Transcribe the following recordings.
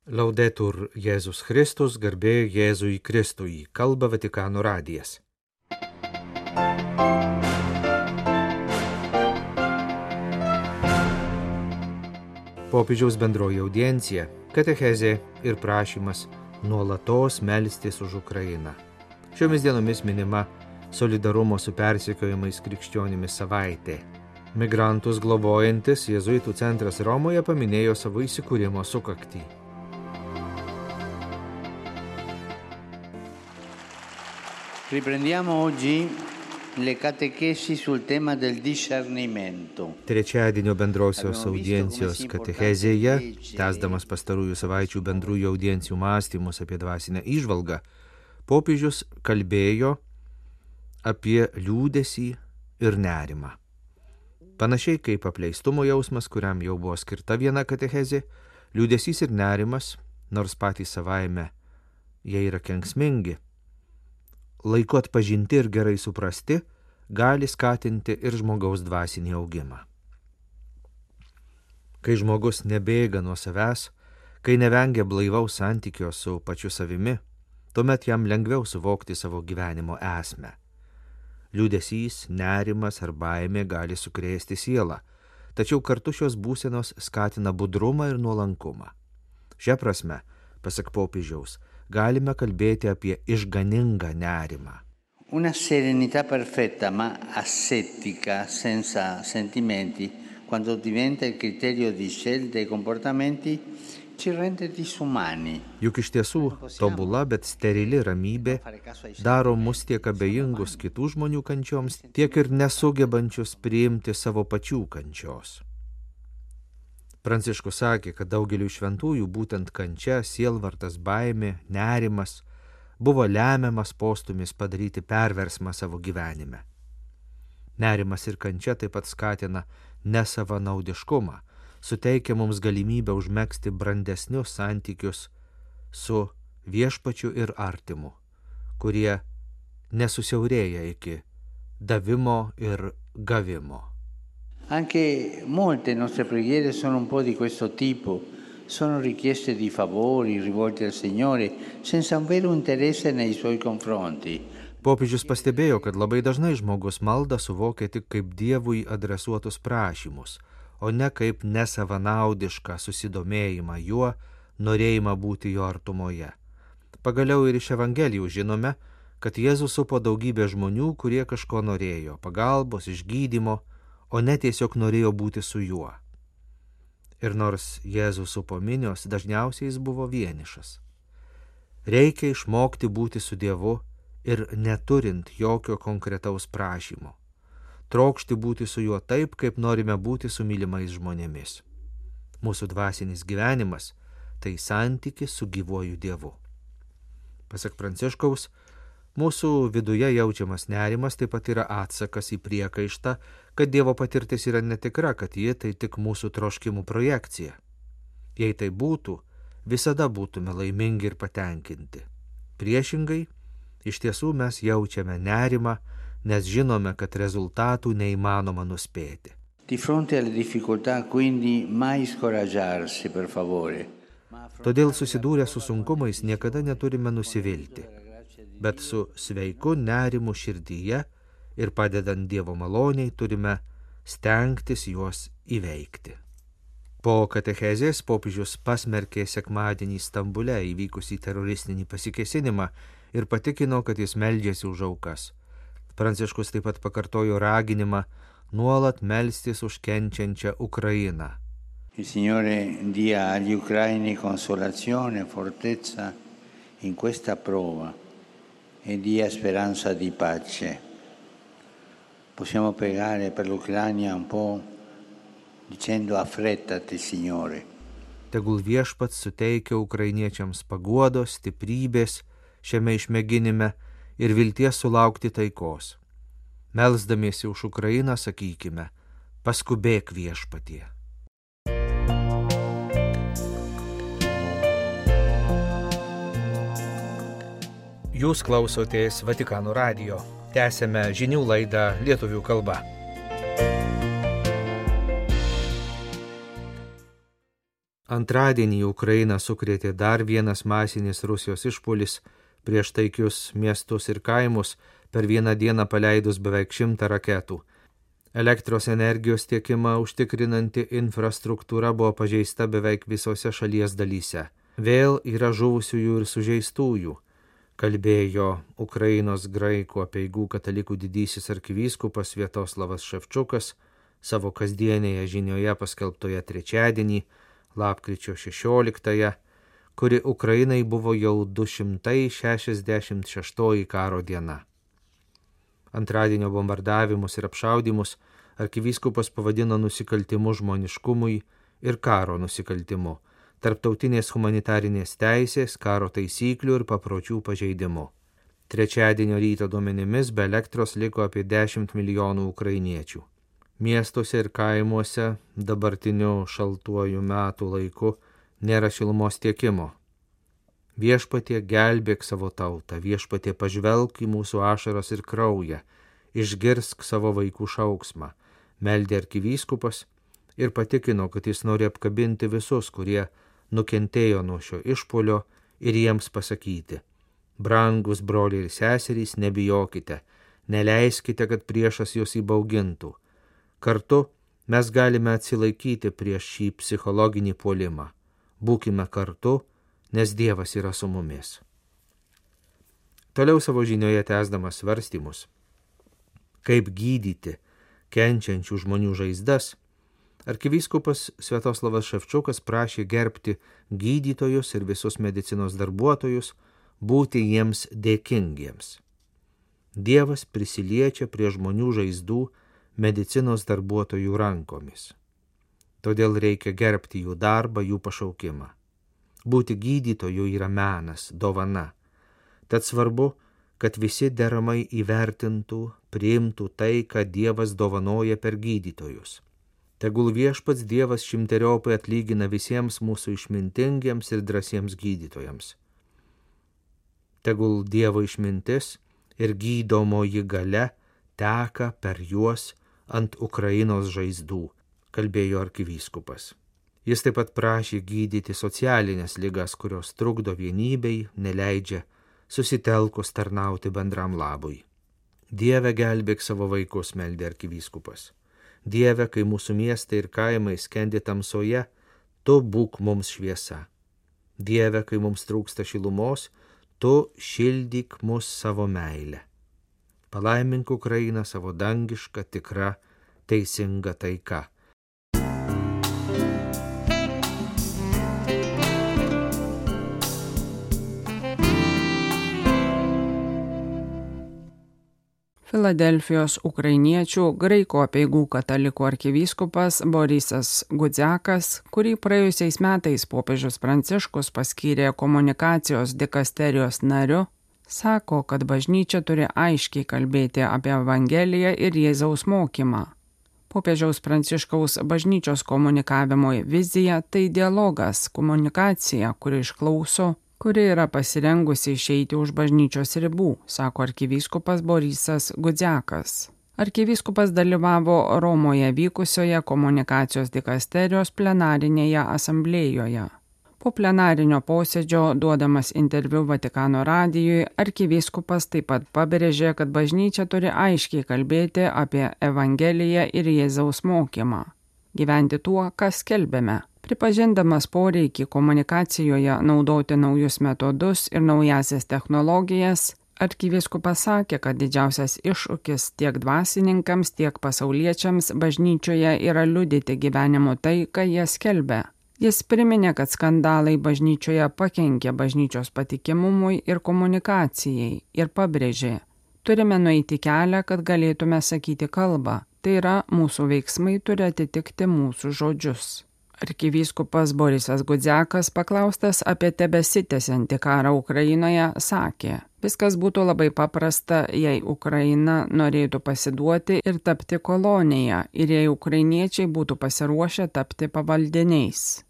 Laudetur Jėzus Kristus, garbė Jėzui Kristui, kalba Vatikano radijas. Popiežiaus bendroji audiencija, katechezė ir prašymas nuolatos melstis už Ukrainą. Šiomis dienomis minima solidarumo su persekiojimais krikščionimis savaitė. Migrantus globojantis Jėzuitų centras Romoje paminėjo savo įsikūrimo sukaktį. Riprendiamo oggi le catechesi sul tema del discernimento. Trečiadienio bendrosios audiencijos katechezėje, tęsdamas pastarųjų savaičių bendrųjų audiencijų mąstymus apie dvasinę įžvalgą, popiežius kalbėjo apie liūdesį ir nerimą. Panašiai kaip apleistumo jausmas, kuriam jau buvo skirta viena katechezė, liūdesys ir nerimas, nors patys savaime jie yra kenksmingi, laiku atpažinti ir gerai suprasti, gali skatinti ir žmogaus dvasinį augimą. Kai žmogus nebėga nuo savęs, kai nevengia blaivaus santykio su pačiu savimi, tuomet jam lengviau suvokti savo gyvenimo esmę. Liūdesys, nerimas ar baimė gali sukrėsti sielą, tačiau kartu šios būsenos skatina budrumą ir nuolankumą. Šia prasme, pasak popiežiaus, galime kalbėti apie išganingą nerimą. Una serenità perfetta ma asettica, senza sentimenti, quando diventa il criterio di scelte e comportamenti, ci rende disumani. Juk iš tiesų, tobula, bet sterili ramybė daro mus tiek abejingus kitų žmonių kančioms, tiek ir nesugebančius priimti savo pačių kančios. Pranciškus sakė, kad daugeliu šventųjų būtent kančia, sielvartas, baimė, nerimas buvo lemiamas postūmis padaryti perversmą savo gyvenime. Nerimas ir kančia taip pat skatina nesavanaudiškumą, suteikia mums galimybę užmegzti brandesnius santykius su viešpačiu ir artimu, kurie nesusiaurėja iki davimo ir gavimo. Anche molte nostre preghiere sono un po' di questo tipo, sono richieste di favori rivolti al Signore senza un vero interesse nei Suoi confronti. Popiežius pastebėjo, kad labai dažnai žmogus maldą suvokia tik kaip Dievui adresuotus prašymus, o ne kaip nesavanaudišką susidomėjimą juo, norėjimą būti jo artumoje. Pagaliau ir iš Evangelijų žinome, kad Jėzus supo daugybę žmonių, kurie kažko norėjo, pagalbos, išgydymo, o ne tiesiog norėjo būti su juo. Ir nors Jėzus supo minios, dažniausiai jis buvo vienišas. Reikia išmokti būti su Dievu ir neturint jokio konkretaus prašymo. Trokšti būti su juo taip, kaip norime būti su mylimais žmonėmis. Mūsų dvasinis gyvenimas – tai santykis su gyvuoju Dievu. Pasak Pranciškaus, mūsų viduje jaučiamas nerimas taip pat yra atsakas į priekaištą, kad Dievo patirtis yra netikra, kad ji tai tik mūsų troškimų projekcija. Jei tai būtų, visada būtume laimingi ir patenkinti. Priešingai, iš tiesų mes jaučiame nerimą, nes žinome, kad rezultatų neįmanoma nuspėti. Di fronte alle difficoltà, quindi, mai scoraggiarsi, per favore. Todėl susidūrę su sunkumais niekada neturime nusivilti, bet su sveiku nerimu širdyje ir padedant Dievo maloniai turime stengtis juos įveikti. Po katechezės popiežius pasmerkė sekmadienį Stambule įvykusį teroristinį pasikėsinimą ir patikino, kad jis meldžiasi už aukas. Pranciškus taip pat pakartojo raginimą nuolat melstis už kenčiančią Ukrainą. Il Signore dia agli ucraini consolazione, fortezza in questa prova e dia speranza di pace. Possiamo pregare per l'Ucraina un po' dicendo affrettati, Signore. Tegul viešpats suteikia ukrainiečiams paguodos, stiprybės šiame išmėginime ir vilties sulaukti taikos. Melsdamiesi už Ukrainą sakykime, paskubėk viešpatie. Jūs klausotės Vatikano radijo. Tęsėme žinių laidą lietuvių kalba. Antradienį Ukrainą sukrėtė dar vienas masinis Rusijos išpuolis prieš taikius miestus ir kaimus, per vieną dieną paleidus beveik 100 raketų. Elektros energijos tiekimą užtikrinanti infrastruktūra buvo pažeista beveik visose šalies dalyse. Vėl yra žuvusiųjų ir sužeistųjų, kalbėjo Ukrainos graikų apeigų katalikų didysis arkivyskupas Sviatoslavas Ševčukas savo kasdienėje žinioje paskelbtoje trečiadienį, lapkričio 16, kuri Ukrainai buvo jau 266 karo diena. Antradienio bombardavimus ir apšaudimus arkivyskupas pavadino nusikaltimu žmoniškumui ir karo nusikaltimu, tarptautinės humanitarinės teisės, karo taisyklių ir papročių pažeidimu. Trečiadienio ryto duomenimis be elektros liko apie 10 milijonų ukrainiečių. Miestuose ir kaimuose dabartiniu šaltuoju metų laiku nėra šilumos tiekimo. Viešpatie, gelbėk savo tautą, viešpatie, pažvelk į mūsų ašaras ir kraują, išgirsk savo vaikų šauksmą, meldė arkivyskupas ir patikino, kad jis nori apkabinti visus, kurie nukentėjo nuo šio išpuolio ir jiems pasakyti: brangus broliai ir seserys, nebijokite, neleiskite, kad priešas jūs įbaugintų. Kartu mes galime atsilaikyti prieš šį psichologinį puolimą. Būkime kartu, nes Dievas yra su mumis. Toliau savo žinioje tęsdamas svarstymus, kaip gydyti kenčiančių žmonių žaizdas, arkivyskupas Sviatoslavas Ševčukas prašė gerbti gydytojus ir visus medicinos darbuotojus, būti jiems dėkingiems. Dievas prisiliečia prie žmonių žaizdų medicinos darbuotojų rankomis. Todėl reikia gerbti jų darbą, jų pašaukimą. Būti gydytoju yra menas, dovana. Tad svarbu, kad visi deramai įvertintų, priimtų tai, ką Dievas dovanoja per gydytojus. Tegul viešpats Dievas šimteriopai atlygina visiems mūsų išmintingiems ir drąsiems gydytojams. Tegul Dievo išmintis ir gydomoji galia teka per juos ant Ukrainos žaizdų, kalbėjo arkivyskupas. Jis taip pat prašė gydyti socialinės ligas, kurios trukdo vienybei, neleidžia susitelkus tarnauti bendram labui. Dieve, gelbėk savo vaikus, meldė arkivyskupas. Dieve, kai mūsų miestai ir kaimai skendi tamsoje, tu būk mums šviesa. Dieve, kai mums trūksta šilumos, tu šildyk mus savo meilę. Palaimink Ukrainą savo dangišką, tikrą, teisingą taiką. Filadelfijos ukrainiečių graikų apeigų katalikų arkivyskupas Borisas Gudziakas, kurį praėjusiais metais popiežius Pranciškus paskyrė komunikacijos dikasterijos nariu, sako, kad bažnyčia turi aiškiai kalbėti apie Evangeliją ir Jėzaus mokymą. Popiežiaus Pranciškaus bažnyčios komunikavimo vizija tai dialogas, komunikacija, kuri išklauso, kuri yra pasirengusi išeiti už bažnyčios ribų, sako arkivyskupas Borisas Gudziakas. Arkivyskupas dalyvavo Romoje vykusioje komunikacijos dikasterijos plenarinėje asamblėjoje. Po plenarinio posėdžio, duodamas interviu Vatikano radijui, arkivyskupas taip pat pabrėžė, kad bažnyčia turi aiškiai kalbėti apie Evangeliją ir Jėzaus mokymą. Gyventi tuo, kas skelbėme. Pripažindamas poreikį komunikacijoje naudoti naujus metodus ir naujasias technologijas, arkivyskupas sakė, kad didžiausias iššūkis tiek dvasininkams, tiek pasauliečiams bažnyčioje yra liudyti gyvenimo tai, ką jie skelbia. Jis priminė, kad skandalai bažnyčioje pakenkė bažnyčios patikimumui ir komunikacijai ir pabrėžė: turime nueiti kelią, kad galėtume sakyti kalbą, tai yra mūsų veiksmai turi atitikti mūsų žodžius. Arkivyskupas Borisas Gudziakas, paklaustas apie tebesitęsiantį karą Ukrainoje, sakė: viskas būtų labai paprasta, jei Ukraina norėtų pasiduoti ir tapti kolonija, ir jei ukrainiečiai būtų pasiruošę tapti pavaldiniais.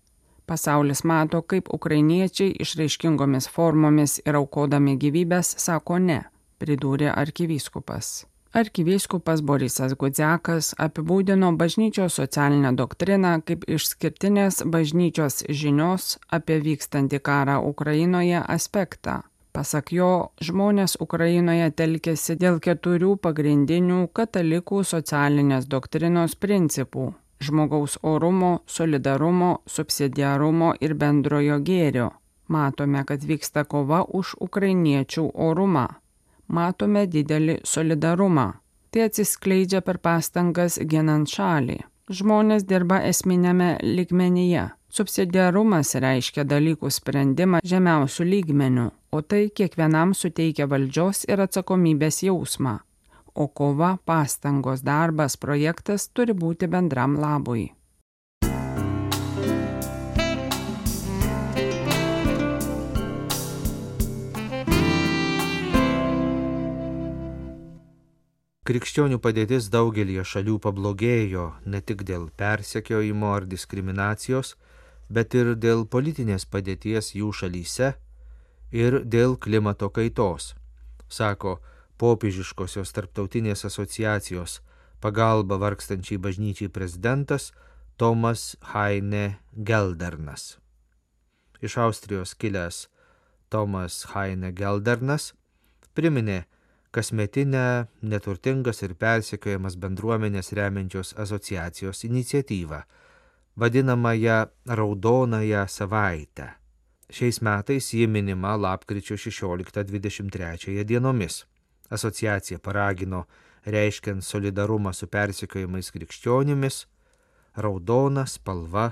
Pasaulis mato, kaip ukrainiečiai išraiškingomis formomis ir aukodami gyvybės sako ne, pridūrė arkivyskupas. Arkivyskupas Borisas Gudziakas apibūdino bažnyčios socialinę doktriną kaip išskirtinės bažnyčios žinios apie vykstantį karą Ukrainoje aspektą. Pasak jo, žmonės Ukrainoje telkėsi dėl 4 pagrindinių katalikų socialinės doktrinos principų – žmogaus orumo, solidarumo, subsidiarumo ir bendrojo gėrio. Matome, kad vyksta kova už ukrainiečių orumą. Matome didelį solidarumą. Tai atsiskleidžia per pastangas ginant šalį. Žmonės dirba esminėme lygmenyje. Subsidiarumas reiškia dalykų sprendimą žemiausių lygmenių, o tai kiekvienam suteikia valdžios ir atsakomybės jausmą. O kova, pastangos, darbas, projektas turi būti bendram labui. Krikščionių padėtis daugelį šalių pablogėjo ne tik dėl persekiojimo ar diskriminacijos, bet ir dėl politinės padėties jų šalyse ir dėl klimato kaitos, sako Popiežiškosios tarptautinės asociacijos pagalba vargstančiai bažnyčiai prezidentas Tomas Heine Geldernas. Iš Austrijos kilęs Tomas Heine Geldernas priminė kasmetinę neturtingas ir persekiojamas bendruomenės remiančios asociacijos iniciatyvą, vadinamąją Raudonąją savaitę. Šiais metais ji minima lapkričio 16-23 dienomis. Asociacija paragino, reiškiant solidarumą su persekiojamais krikščionimis, raudona spalva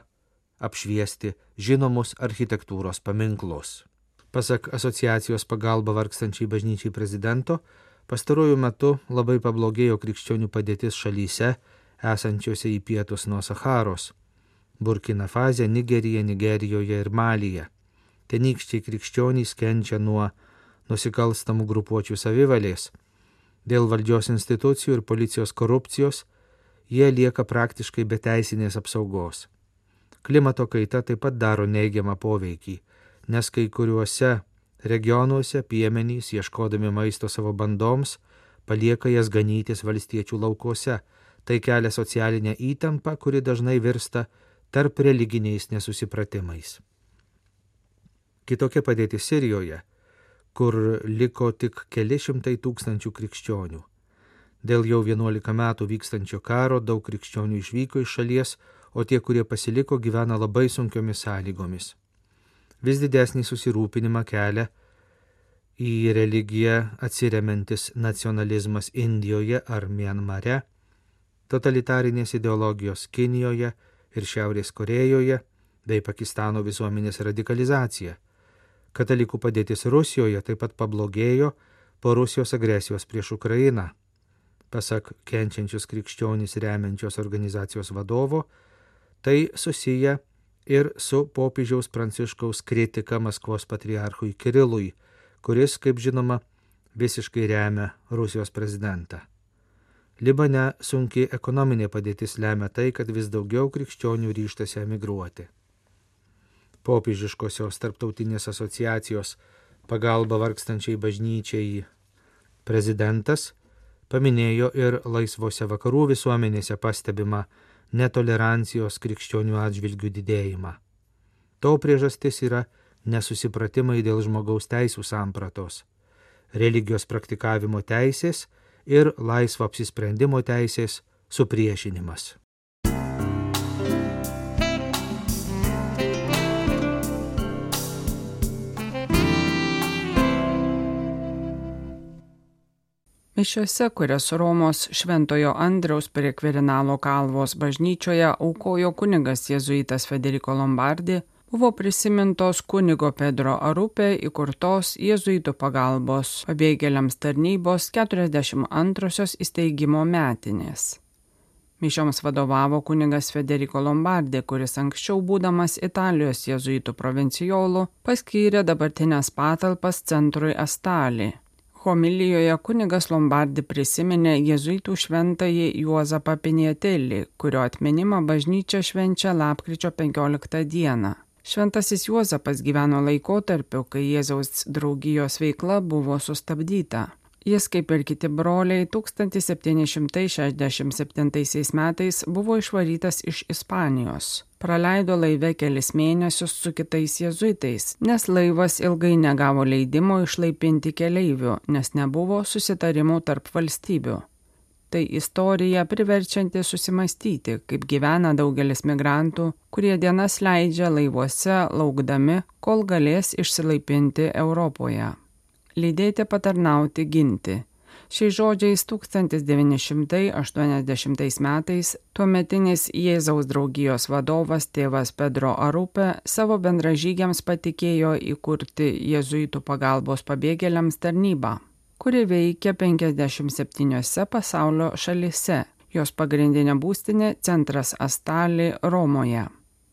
apšviesti žinomus architektūros paminklus. Pasak asociacijos pagalba vargstančiai bažnyčiai prezidento, pastaruoju metu labai pablogėjo krikščionių padėtis šalyse, esančiose į pietus nuo Sacharos – Burkina Fasė, Nigerija, Nigerijoje ir Malyje. Tenykščiai krikščionys kenčia nuo nusikalstamų grupuočių savivalės. Dėl valdžios institucijų ir policijos korupcijos jie lieka praktiškai be teisinės apsaugos. Klimato kaita taip pat daro neigiamą poveikį, nes kai kuriuose regionuose piemenys, ieškodami maisto savo bandoms, palieka jas ganytis valstiečių laukuose. Tai kelia socialinę įtampą, kuri dažnai virsta tarp religiniais nesusipratimais. Kitokia padėtis Sirijoje, kur liko tik keli šimtai tūkstančių krikščionių. Dėl jau 11 metų vykstančio karo daug krikščionių išvyko iš šalies, o tie, kurie pasiliko, gyvena labai sunkiomis sąlygomis. Vis didesnį susirūpinimą kelia į religiją atsiremiantis nacionalizmas Indijoje ar Mianmare, totalitarinės ideologijos Kinijoje ir Šiaurės Korėjoje bei Pakistano visuomenės radikalizacija. Katalikų padėtis Rusijoje taip pat pablogėjo po Rusijos agresijos prieš Ukrainą. Pasak kenčiančius krikščionys remiančios organizacijos vadovo, tai susiję ir su popiežiaus Pranciškaus kritika Maskvos patriarchui Kirilui, kuris, kaip žinoma, visiškai remia Rusijos prezidentą. Libane sunki ekonominė padėtis lemia tai, kad vis daugiau krikščionių ryžtasi emigruoti. Popiežiškosios tarptautinės asociacijos pagalba vargstančiai bažnyčiai prezidentas paminėjo ir laisvose vakarų visuomenėse pastebimą netolerancijos krikščionių atžvilgių didėjimą. To priežastis yra nesusipratimai dėl žmogaus teisų sampratos, religijos praktikavimo teisės ir laisvo apsisprendimo teisės supriešinimas. Mišiose, kurias Romos Šventojo Andriaus prie Kvirinalo kalvos bažnyčioje aukojo kunigas jėzuitas Federico Lombardi, buvo prisimintos kunigo Pedro Arupė įkurtos jėzuitų pagalbos pabėgėliams tarnybos 42-osios įsteigimo metinės. Mišioms vadovavo kunigas Federico Lombardi, kuris anksčiau būdamas Italijos jėzuitų provincijolu paskyrė dabartinės patalpas centrui Astali. Homilijoje kunigas Lombardi prisiminė jėzuitų šventąjį Juozapą Piniatelį, kurio atminimą bažnyčia švenčia lapkričio 15 dieną. Šventasis Juozapas gyveno laikotarpiu, kai Jėzaus draugijos veikla buvo sustabdyta. Jis, kaip ir kiti broliai, 1767 metais buvo išvarytas iš Ispanijos. Praleido laive kelis mėnesius su kitais jėzuitais, nes laivas ilgai negavo leidimo išlaipinti keleivių, nes nebuvo susitarimų tarp valstybių. Tai istorija priverčianti susimastyti, kaip gyvena daugelis migrantų, kurie dienas leidžia laivuose laukdami, kol galės išsilaipinti Europoje. Lydėti, patarnauti, ginti. Šiais žodžiais 1980 metais tuometinis Jėzaus draugijos vadovas tėvas Pedro Arrupe savo bendražygiams patikėjo įkurti jėzuitų pagalbos pabėgėliams tarnybą, kuri veikia 57 pasaulio šalyse. Jos pagrindinė būstinė centras Astali Romoje.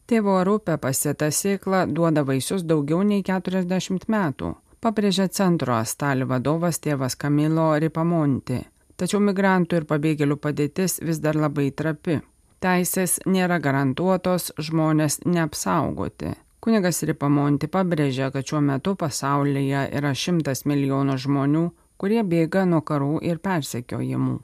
Tėvo Arrupe pasėta sėkla duoda vaisius daugiau nei 40 metų. Pabrėžė centro Astali vadovas tėvas Camilo Ripamonti. Tačiau migrantų ir pabėgėlių padėtis vis dar labai trapi. Teisės nėra garantuotos, žmonės neapsaugoti. Kunigas Ripamonti pabrėžė, kad šiuo metu pasaulyje yra 100 milijonų žmonių, kurie bėga nuo karų ir persekiojimų.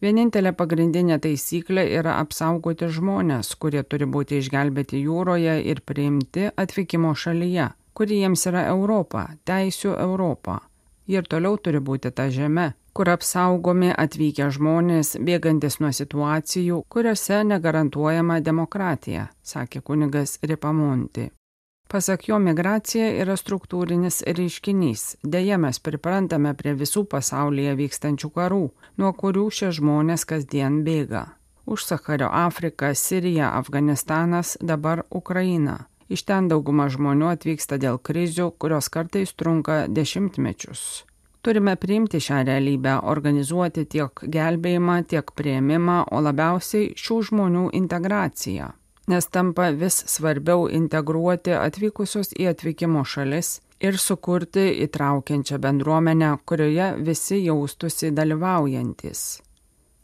Vienintelė pagrindinė taisyklė yra apsaugoti žmonės, kurie turi būti išgelbėti jūroje ir priimti atvykimo šalyje, kuri jiems yra Europa, teisių Europa. Ji ir toliau turi būti ta žeme, kur apsaugomi atvykę žmonės, bėgantis nuo situacijų, kuriuose negarantuojama demokratija, sakė kunigas Ripamonti. Pasak jo, migracija yra struktūrinis reiškinys. Deja, mes priprantame prie visų pasaulyje vykstančių karų, nuo kurių šie žmonės kasdien bėga. Už Sachario Afrika, Sirija, Afganistanas, dabar Ukraina. Iš ten dauguma žmonių atvyksta dėl krizių, kurios kartais trunka dešimtmečius. Turime priimti šią realybę, organizuoti tiek gelbėjimą, tiek priėmimą, o labiausiai šių žmonių integraciją. Nes tampa vis svarbiau integruoti atvykusius į atvykimo šalis ir sukurti įtraukiančią bendruomenę, kurioje visi jaustųsi dalyvaujantis.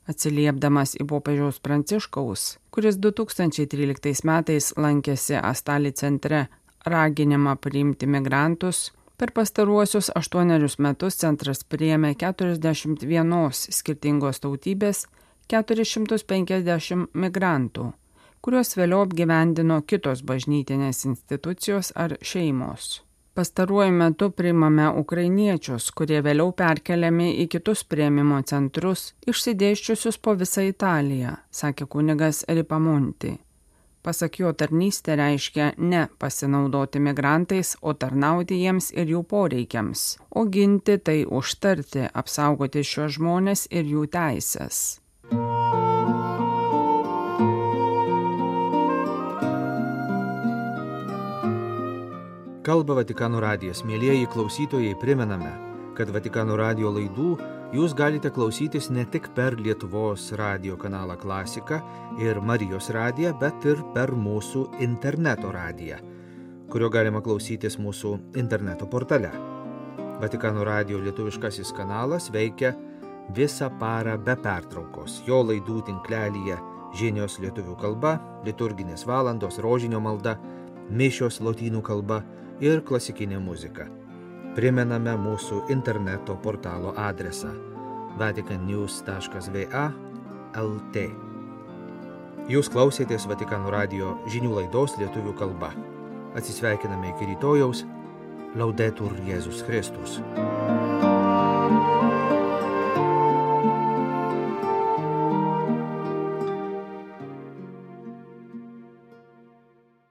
Atsiliepdamas į popiežiaus Pranciškaus, kuris 2013 metais lankėsi Astali centre raginimą priimti migrantus, per pastaruosius 8 metus centras priėmė 41 skirtingos tautybės 450 migrantų, kuriuos vėliau apgyvendino kitos bažnytinės institucijos ar šeimos. Pastaruoju metu priimame ukrainiečius, kurie vėliau perkeliami į kitus priėmimo centrus, išsidėsčiusius po visą Italiją, sakė kunigas Ripamonti. Pasak jo, tarnystė reiškia ne pasinaudoti migrantais, o tarnauti jiems ir jų poreikiams, o ginti tai užtarti, apsaugoti šiuos žmones ir jų teises. Kalba Vatikano radijas. Mielieji klausytojai, primename, kad Vatikano radijo laidų jūs galite klausytis ne tik per Lietuvos radijo kanalą Klasika ir Marijos radiją, bet ir per mūsų interneto radiją, kurio galima klausytis mūsų interneto portale. Vatikano radijo lietuviškasis kanalas veikia visą parą be pertraukos. Jo laidų tinklelyje žinios lietuvių kalba, liturginės valandos, rožinio malda, mišios lotynų kalba ir klasikinė muzika. Primename mūsų interneto portalo adresą vaticannews.va/lt. Jūs klausėtės Vatikano radijo žinių laidos lietuvių kalba. Atsisveikiname iki rytojaus. Laudetur Jėzus Kristus.